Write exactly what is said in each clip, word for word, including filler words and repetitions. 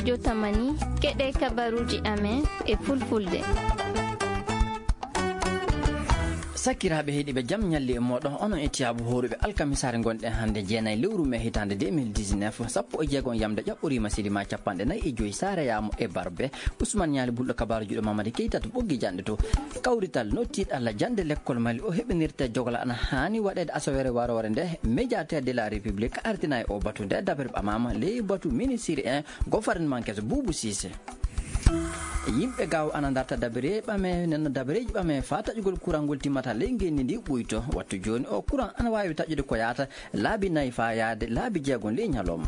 Jotamani, keɗe kabaruuji amen e fulfulde. Sakiraaɓe heɗiiɓe, jam ñalli e mooɗon. Onon e tiyaabu hooruɓe alkamisaare ngonɗen hannde, jeenayi lewru mee hitaande deux mille dix-neuf, sappo e jeego yamde ƴaɓɓoriima silima capanɗe nayi e joyi, saareyaama e barbe. Usman Ñaali Bulɗo, kabaaru juuɗe Mamadi Keyta to Ɓoggi Janɗe to. Kawrital no tiiɗalla jannde lekkol Mali o heɓinirte jogola ana haani waɗeede asawere waroore nde, médiateur de la République artina e o batu nde dabere ɓamaama ley batu ministre en gouvernement keso Boubou Cissé. Yimɓe gaaw ana darta dabere ɓame, nenno dabereeji ɓame faa taƴugol kurangol timmata ley ngenndi ndi ɓuyto. Wattu jooni o kuran ana waawi taƴude ko yaata laabi nayi faa yaade laabi jeegom ley ñalawma.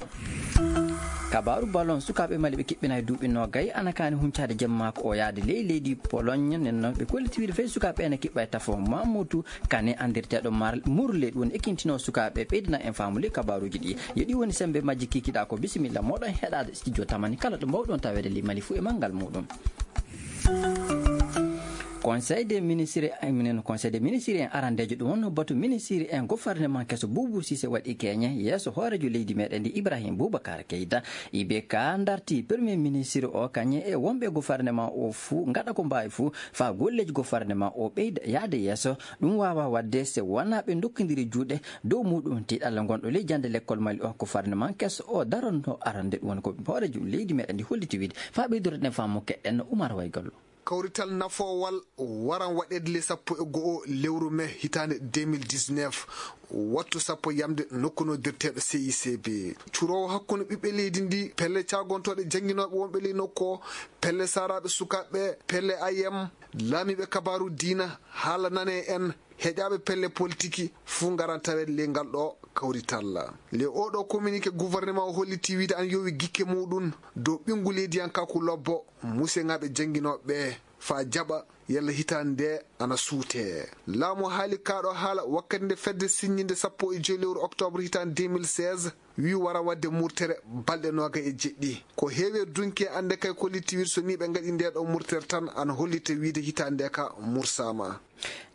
Kabaaru ballon, sukaaɓe Mali ɓe kiɓɓinay duuɓi noogay ana kaani huncaade jemmaako o yaade ley leydi Pologne. Nenno ɓe kolliti wiide fay sukaaɓe ene kiɓɓa e tafo Mamutu Kane anndirteeɗo Mar-, Murle, ɗum woni ekintino sukaaɓe, ɓeydana en faamu ley kabaaruuji ɗi. Yo ɗi woni semmbe majji kikiɗaa ko. Bisimilla mooɗon heɗaade studio Tamani kala ɗo mbawɗon taweede ley Mali fuu e manngal muuɗum. Conseil des ministres, eh, minen Conseil des ministres en arandeejo, ɗum wonno batu ministre en gouvernement keso Boubou Cissé waɗi keñe yeeso hooreejo leydi meɗen ndi Ibrahim Boubacar Keita. I B K darti premier ministre o kañe e wonɓe gouvernement o fuu ngaɗa ko mbaawi fuu faa golleeji gouvernement o ɓeyda yaade yeeso. Ɗum waawaa waɗde so wonaa ɓe ndokkondiri juuɗe dow muuɗum. Tiiɗalla ngonɗo ley jannde lekkol Mali o, gouvernement keso o daronno arande, ɗum woni ko hooreejo leydi meɗen ndi holliti wiide. Faa ɓeydoreɗen faamu keɗen Umar Waygallo. Kawrital nafoowal waran waɗeede le sappo e go'o lewru mee hitaande deux mille dix-neuf, wattu sappo yamde nokku noddirteeɗo C I C B. Curoowo hakkunde ɓiɓɓe leydi ndi, pelle caagontooɗe jannginooɓe wonɓe ley nokku o, pelle saaraaɓe sukaaɓe, pelle A M, laamiiɓe kabaaru diina, haala nane en, heƴaaɓe pelle politiki fuu ngaran taweede ley ngal ɗo kawrital. Le oɗo communiqué gouvernement o holliti wiide ana yowi gikke muuɗum dow ɓinngu leydiyankaaku lobbo, museŋaaɓe jannginooɓe ɓe faa jaɓa yalla hitaande nde ana suutee. Laamu haali kaa ɗo haala wakkati nde fedde siññinde sappo e joy lewru octobre hitaande deux mille seize, wii wara waɗde murtere balɗe noogay e jeɗɗi. Ko heewi e dunki e annde kay kolliti wiide so nii ɓe ngaɗi ndee ɗo murtere tan ana hollita wiide hitaande nde ka mursaama.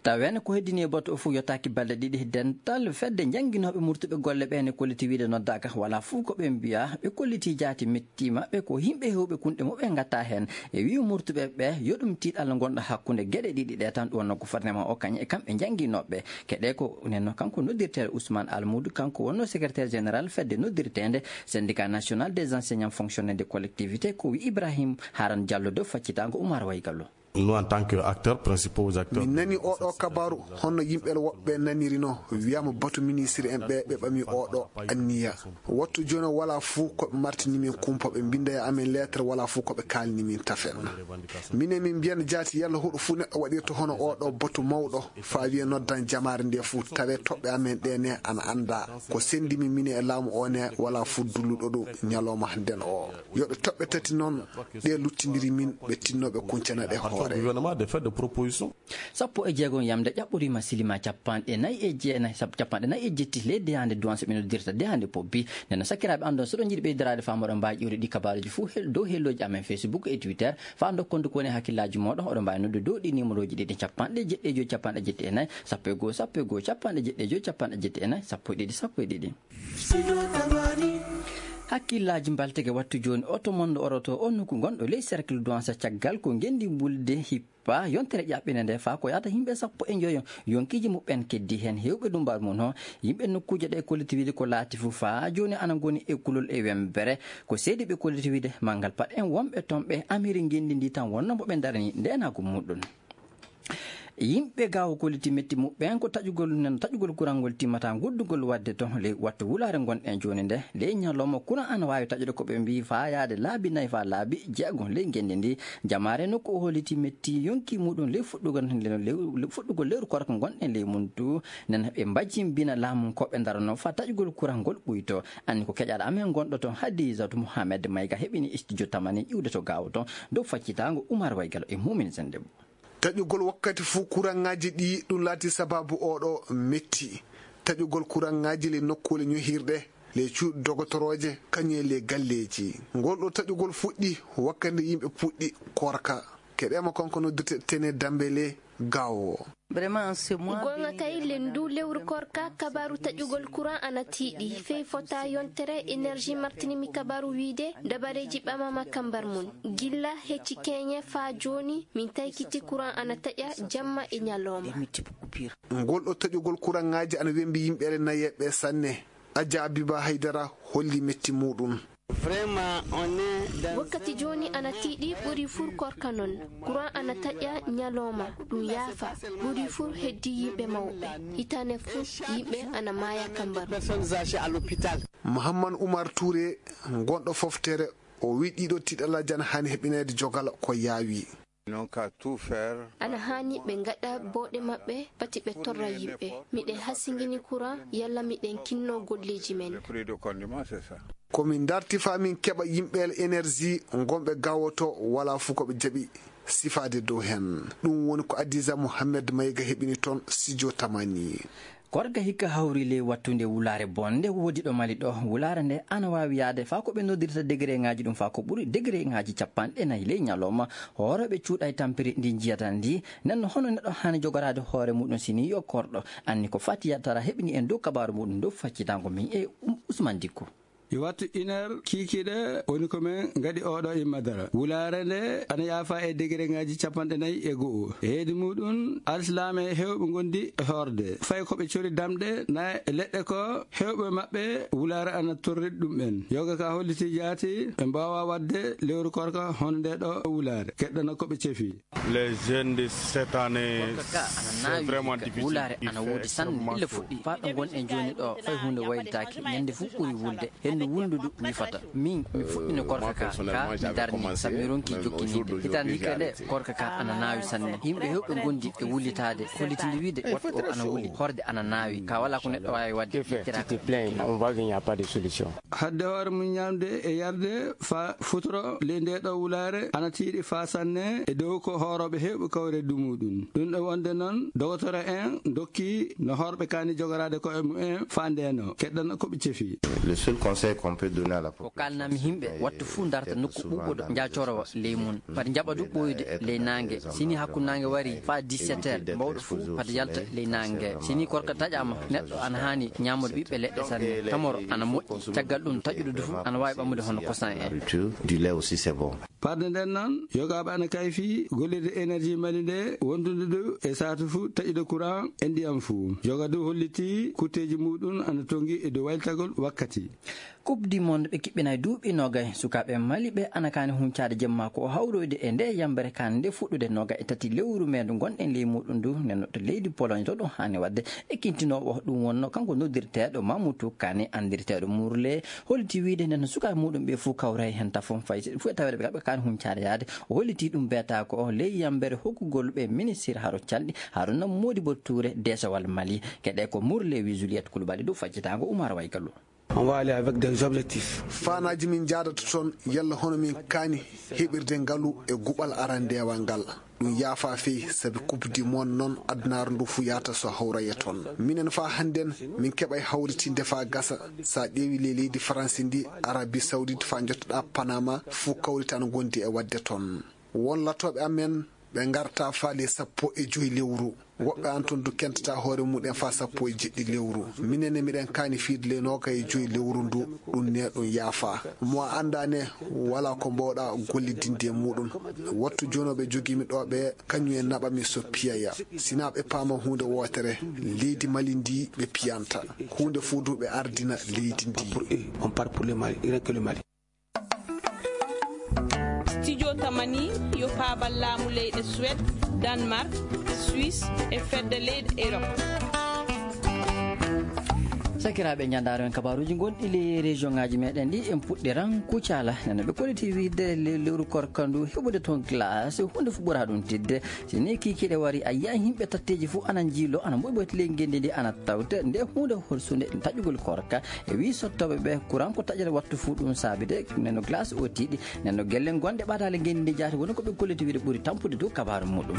Tawen ko heddini e batu o fof yottaaki balɗe ɗiɗi, dental fedde jannginooɓe murtuɓe golle ɓe ne kolliti wiide noddaaka, wala fof ko ɓe mbiya ɓe kolliti jaati mettiima ɓe, ko yimɓe heewɓe kunɗe muɓɓen ngatta heen. E wiyu murtuɓe ɓe yo ɗum tiiɗalla ngonɗo hakkunde geɗe ɗiɗi ɗe tan, ɗum wonno gouvernement o kañum e kamɓe jannginooɓe. Keɗe ko nenno kanko noddirteeɗo Ousmane Almoudou, kanko wonno secrétaire général fedde noddirteende syndicat national des enseignants fonctionnaires de collectivité, ko wi Ibrahim Haran Diallo dow faccitaango Oumar Waygallo. Nous, en tant que acteurs principaux, acteurs min nani oɗo kabaru honno yimɓe woɓɓe nanirino, wiyama batu ministre en ɓe, ɓe ɓami oɗo anniya. Wattu jooni wala fuu ko ɓe martini min kumpa, ɓe mbinda e amen lettre, wala fuu ko ɓe kalni min tafen. Minen min mbiyan jaati yalla hoɗo fuu neɗɗo waɗirta hono oɗo batu mawɗo, faa wiya noddan jamaare nde fuu, tawe toɓɓe amen ɗe ne ana annda. Ko sendi min, minen e laamu o ne, wala fuu dulluɗo ɗum ñalawma hannden o. Yo ɓe toɓɓe tati noon, ɗe luttindiri min, ɓe tinno ɓe kuncana ɗe hoore. Gouvernement de faire des propositions. Sappo e jeegom yamde ƴaɓɓoriima silima capanɗe nayi e jeenayi, sab-, capanɗe nayi e jetti ley deyaande Duwanse ɓe noddirta deyaande Pobbi. Nden noon, sakiraaɓe, anndon, so ɗon njiɗi ɓeydiraade faamu, oɗon mbaawi ƴiwrude ɗi kabaaruuji fuu hel-, dow hellooji amen Facebook e Twitter. Faa ndokkon ko woni e hakkillaaji mooɗon, oɗon mbaawi noddude dow ɗi niimorooji ɗiɗi, capanɗe jeɗɗi e joy, capanɗe jetti e nayi, sappo e goo, sappo e goo, capanɗe jeɗɗi e joy, capanɗe jetti e nayi, sappo e ɗiɗi, sappo e ɗiɗi. Hakkillaaji mbalteke wattu jooni, oto mon oroto o nokku gonɗo ley cercle Duwanse caggal ko ngenndi mbulde hippa yontere ƴaɓɓinde nde faa ko yahata yimɓe sappo e njoyo yonkiiji muɓɓen keddi heen heewɓe dummbaaru mum. Hon yimɓe nokkuuje ɗe kolliti wiide ko laati fuu faa jooni ana ngoni e kulol e wembere. Ko seedi ɓe kolliti wiide manngal pat en wonɓe toon ɓe amiri ngenndi ndi tan wonno mo ɓe ndarani ndeenaagu muɗum. Yimɓe gaawo kolliti metti muɓɓen ko taƴugol nan, taƴugol kurangol timmata guddugol waɗde to ley wattu wulaare ngonɗen jooni nde. Ley ñalawma kuran ana waawi taƴude ko ɓe mbii faa yaade laabi nayi faa laabi jeegom ley ngenndi ndi. Jamaare nokku o holliti metti yonki muɗum ley fuɗɗugol, ley, ley fuɗɗugol lewru korka ngonɗen ley mum tu. Nen ɓe mbajimbina laamu ko ɓe ndarano faa taƴugol kurangol ɓuyto. Anni ko keƴaɗo amen gonɗo toon Hadijatu Mohamed Mayga heɓini studio Tamani ƴiwde to gaawo toon dow faccitaango Umar Waygalo e Mumin Sendebo. Taƴugol wakkati fuu kuraŋaaji ɗi, ɗum laati sabaabu oɗo metti. Taƴugol kuraŋaaji ley nokkuule ñohirɗe, ley cuuɗi dogotorooje, kañum e ley galleeji. Ngol ɗo taƴugol fuɗɗi wakkati nde yimɓe puɗɗi koorka. Keɗeema kanko noddirte Tene Dambele, Gawo. Vraiment, c'est moi. Goonga kay, lenndu lewru korka, kabaaru taƴugol courant ana tiiɗi. Fey fota yontere, Énergie martinimi kabaaru wiide dabareeji ɓamama kambar mun. Gilla hecci keñe faa jooni, min taykiti courant ana taƴa jamma e ñalawma. Ngol ɗo taƴugol kuraŋaaji ana wembi yimɓe nayeeɓe sanne. Adja Abiba Haydara holli metti muɗum. Vraiment, on est dans wakkati jooni ana tiiɗi ɓuri fur korka non. Courant ana taƴa ñalawma, ɗum yaafa. Ɓuri fur heddi yimɓe mawɓe. Hitane fur yimɓe ana maaya kambar. Personnes âgées à l'hôpital. Mohammad Oumar Touré, gonɗo foftere, o wi ɗiɗo tiɗalaji ana hani heɓinede jogal ko yaawi. Ana haani ɓe ngaɗa booɗe maɓɓe, pati ɓe torra yimɓe. Miɗen hasingini courant, yalla miɗen kinno golleeji men. Ko min darti faa min keɓa yimɓe Énergie ngonɓe gawoto, wala fu ko ɓe jaɓi sifaade dow hen. Ɗum woni ko Adiza Mohamed Mayga heɓini toon studio Tamani. Korka hikka hawri ley wattunde wulaare bonde woodi ɗo Mali ɗo. Wulaare nde ana waawi yaade faa ko ɓe noddirta degereŋaaji ɗum, faa ko ɓuri degereŋaaji capanɗe nayi ley ñalawma. Hoorooɓe cuuɗay tampiri ndi njiyata ndi. Nden no hono neɗɗo haani jogoraade hoore muɗum si ni yo korɗo. Anni ko Fatiya Tara heɓini en dow kabaaru muɗum dow faccitango min e Um-, Usman Dikko. E wattu une heure kiikiiɗe woni ko min ngaɗi oɗo e madara. Wulaare nde ana yaafa e degereŋaaji capanɗe nayi e go'o. E heedi muɗum, alsilaame heewɓe ngondi e hoorde. Fay ko ɓe cori damɗe na e leɗɗe ko heewɓe maɓɓe wulaare ana torri ɗum en. Yoga ka holliti jaati ɓe mbaawa waɗde lewru korka hono nde ɗo wulaare. Keɗɗana ko ɓe cefi. Les jeunes de cette année, c'est vraiment difficile. Wulaare ana woodi sanne, illa fuɗɗi. Faa ɗo ngonɗen jooni ɗo, fay huunde waylitaaki. Ñande fof ɓuri wulde. Hendu wulndu du wifata. Min, mi fuɗɗino korka ka, ka mi darni, sabu mi ronki jokkiniide. Hitaande hikka nde, korka ka ana naawi sanne. Yimɓe heewɓe ngondi e wullitaade, hollitinde wiide wattu o ana wuli, horde ana naawi. Ka wala ko neɗɗo waawi waɗde, ittira ka. Hadde hoore mum ñaamde e yarde faa futuro ley ndee ɗoo wulaare ana tiiɗi faa sanne e dow ko hoorooɓe heewɓe kawre dumuɗum. Ɗum ɗo wonde noon, dogotoro en dokki no hoorɓe kaani jogoraade koye mumen faa ndeenoo, keɗɗana ko ɓe cefi. Le seul conseil qu'on peut donner à la population, ko kaalnami yimɓe, wattu fuu ndarta nokku ɓuuɓuɗo, njaa corowa ley mum. Mbaɗa njaɓa du ɓooyde ley naange. Si ni hakkunde naange wari faa dix-sept heures, mawɗo fuu fata yalta ley naange. Si ni korka taƴaama, neɗɗo ana haani ñaamude ɓiɓɓe leɗɗe sanne. Tamoro ana moƴƴi. Caggal ɗum, taƴuɗo du fuu ana waawi ɓamude hono kosan en. Du lait aussi, c'est bon. Parde nden noon, yogaaɓe ana kayfi gollirde Énergie Mali nde, wondude du e saatu fuu taƴude courant e ndiyam fuu. Yoga du holliti kutteeji muɗum ana tongi e dow waylitagol wakkati. Coupe du Monde ɓe kiɓɓinay duuɓi noogay. Sukaaɓe Mali ɓe ana kaani huncaade jemma ko hawroyde e nde yambere kaan nde fuɗɗude noogay e tati lewru mee ndu ngonɗen ley muɗum ndu. Nden no to leydi Pologne to ɗum haani waɗde. E kintinoowo ɗum wonno kanko noddirteeɗo Mamutu Kane, anndirteeɗo Murle, holliti wiide nden no sukaaɓe muɗum ɓe fuu kawray hen tafon fay si fuu e taweede ɓe kamɓe kaani huncaade yaade. O holliti ɗum beetaako o ley yambere hokkugol ɓe ministir haro calɗi, Haruna Modibo Touré, deesewal Mali. Keɗe ko Murle wi Juliette Koulibaly dow faccitaango Oumar Waygallo. On va aller avec des objectifs. Faanaaji min njaadata toon, yalla hono min kaani heɓirde ngalu e guɓal arandewal ngal. Ɗum yaafa fey, sabi Coupe du Monde noon, adunaaru ndu fuu yahata so hawraya toon. Minen faa hannden, min keɓay hawritinde faa gasa. Sa ƴeewi ley leydi Faransi ndi, Arabie Saoudite faa njottoɗaa Panama, fuu kawritaan ngondi e waɗde toon. Won latooɓe amen, ɓe ngarta faa ley sappo e joy lewru. Woɓɓe an toon du kentata hoore mumen faa sappo e jeɗɗi lewru. Minen ne miɗen kaani fiyde ley noogay e joy lewru ndu, ɗum ne ɗum yaafa. Mo a anndaa ne, walaa ko mbaawɗaa gollidinde e muɗum. Wattu jooni ɓe jogii mi ɗo ɓe, kañum en naɓa mi so piyaya. Sinaa ɓe paama huunde wootere, leydi Mali ndi ɓe piyanta. Huunde fuu du ɓe ardina leydi ndi. Pour eux, on part pour le Mali, rien que le Mali. Studio Tamani yo paabal laamu leyɗe Suède, Danemark, Suisse e fedde leyɗe Europe. Sakiraaɓe, njandaaro en kabaaruuji gonɗi ley région ŋaaji meɗen ɗi, en puɗɗiran Kucala. Nana ɓe kolliti wiide le-, lewru korka ndu heɓude toon glace, huunde fof ɓura ɗum tidde. Si ni kiikiiɗe wari, a yiyan yimɓe tatteeji fof ana njiilo, ana mboyboyti ley ngenndi ndi, ana tawte nde huunde holsunde taƴugol korka. E wii sottooɓe ɓe, courant ko taƴata wattu fuu ɗum saabi de, nen no glace o tiiɗi, nen no gelle gonɗe ɓadaale ngenndi ndi jaati, woni ko ɓe kolliti wiide ɓuri tampude dow kabaaru muɗum.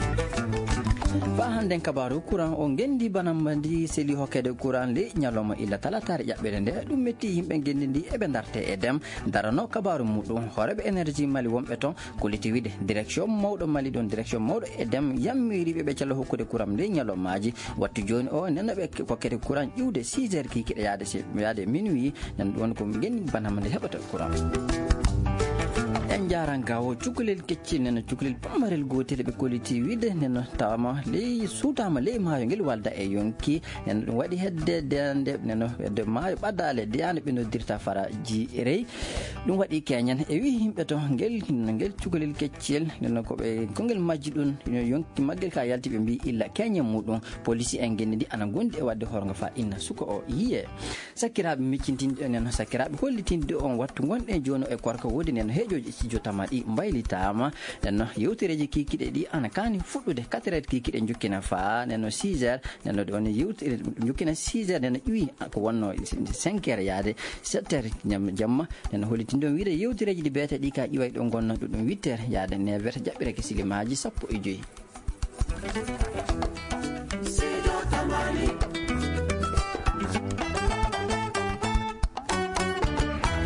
Faa hannden kabaaru kuran o ngenndi bana mba ndi seli hokkede kuran ley ñalawma illa talataare ƴaɓɓere nde ɗum metti yimɓe ngenndi ndi eɓe ndarte e dem darano kabaaru muɗum hooreɓe énergie mali wonɓe toon kolliti wiide direction mawɗo mali ɗon direction mawɗo e dem yammiriɓe ɓe calo hokkude kuran ley ñalawmaaji wattu jooni o nenoɓe kokkede kuran ƴiwde six heures kikiɗe yaade yaade minuit. Nen ɗum woni ko ngenndi banama nde heɓata courant. En njaran gawo cukalel keccel neno cukalel pammarel gotel ɓe kolliti wiide neno tawama ley suutama ley maayo ngel walda e yonki. Neno ɗum waɗi hedde dande neno hedde maayo ɓadale deyande ɓe noddirta fara ji rey. Ɗum waɗi keñen e wi yimɓe to ngel ngel cukalel keccel neno koɓe kongel majji ɗum yonki maggel ka yalti ɓe mbi illa keñen muɗum. Polisi en ngenndi ndi ana gondi e wadde horgo fa inna suka o yiye. Sakkiraaɓe miccintinɗo enen sakkiraaɓe hollitinde on wattu gonɗen jooni e korka woodi nen heeƴooji e studio tama ɗi mbaylitaama. Nen yewtereeji kiikiɗe ɗi ana kaani fuɗɗude quatre heures kiikiɗe njokkina faa nen six heures. Nen ɗon yewtere njokkina six heures nen ƴuwi ko wonno cinq heures yaade sept heures jamma. Nen hollitinde on wiide yewtereeji ɗi beete ɗi ka ƴiway ɗo gonno ɗuɗum huit heures yaade neuf heures jaɓɓireke silimaaji sappo e joyi.